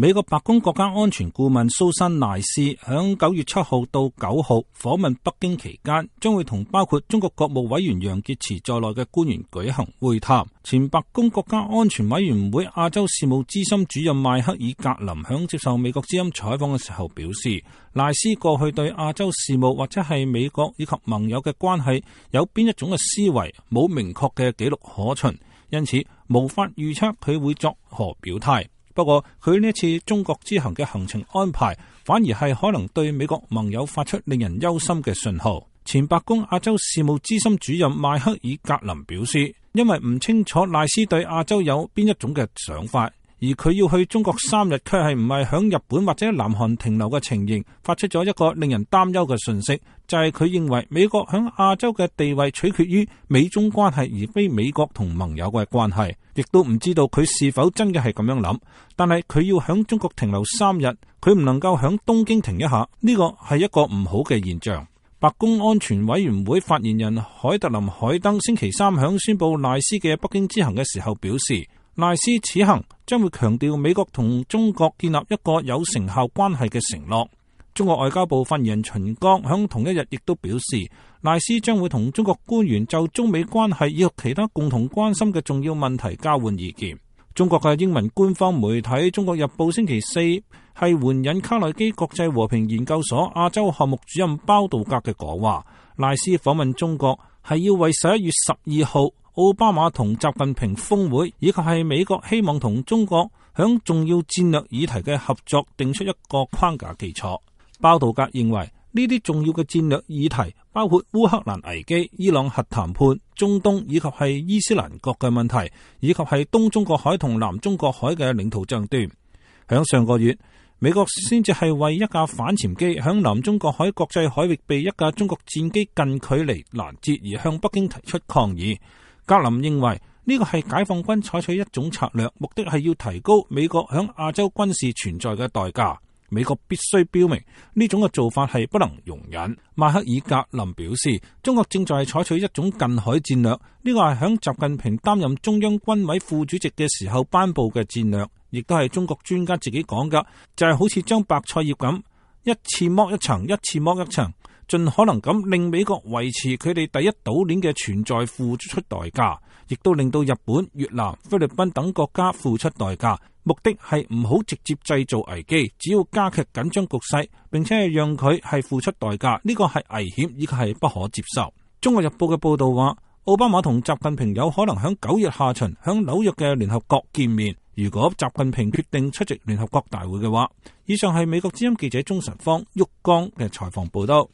美國白宮國家安全顧問蘇珊賴斯響9月7號到9號訪問北京期間，將會同包括中國國務委員楊潔篪在內嘅官員舉行會談。前白宮國家安全委員會亞洲事務資深主任邁克爾格林響接受美國之音採訪嘅時候表示，賴斯過去對亞洲事務或者係美國以及盟友嘅關係有邊一種嘅思維，冇明確嘅記錄可循，因此無法預測佢會作何表態。不過佢呢一次中國之行嘅行程安排，反而係可能對美國盟友發出令人憂心嘅信號。前白宮亞洲事務資深主任邁克爾格林表示，因為唔清楚賴斯對亞洲有邊一種嘅想法，而佢要去中國3日，卻係唔係響日本或者南韓停留嘅情形，發出咗一個令人擔憂嘅訊息，就係佢認為美國響亞洲嘅地位取決於美中關係，而非美國同盟友嘅關係。亦都唔知道佢是否真嘅係咁樣諗，但係佢要響中國停留3日，佢唔能夠響東京停一下，呢個係一個唔好嘅現象。白宮安全委員會發言人海特林海登星期3響宣布賴斯嘅北京之行嘅時候表示，賴斯此行將會強調美國同中國建立一個有成效關係嘅承諾。中國外交部發言人秦剛響同一日亦都表示，賴斯將會同中國官員就中美關係以及其他共同關心嘅重要問題交換意見。中國嘅英文官方媒體《中國日報》星期4係援引卡內基國際和平研究所亞洲項目主任包道格嘅講話，賴斯訪問中國係要為11月12號奧巴馬同習近平峰會，以及係美國希望同中國響重要戰略議題嘅合作定出一個框架基礎。包道格認為呢啲重要嘅戰略議題包括烏克蘭危機、伊朗核談判、中東以及係伊斯蘭國嘅問題，以及係東中國海同南中國海嘅領土爭端。響上個月，美國先至係為一架反潛機響南中國海國際海域被一架中國戰機近距離攔截而向北京提出抗議。格林認為呢個係解放軍採取一種策略，目的係要提高美國響亞洲軍事存在嘅代價。美國必須標明呢種嘅做法係不能容忍。邁克爾格林表示，中國正在採取一種近海戰略，呢個係響習近平擔任中央軍委副主席嘅時候頒布嘅戰略，亦都係中國專家自己講㗎，就係好似將白菜葉咁，一次剝一層，一次剝一層，盡可能咁令美國維持佢哋第一島鏈嘅存在付出代價，亦都令到日本、越南、菲律賓等國家付出代價。目的係唔好直接製造危機，只要加劇緊張局勢，並且係讓佢係付出代價，呢個係危險，以及係不可接受。中國日報嘅報道話，奧巴馬同習近平有可能響9月下旬響紐約嘅聯合國見面。如果習近平決定出席聯合國大會嘅話，以上係美國之音記者鍾晨芳、旭江嘅採訪報道。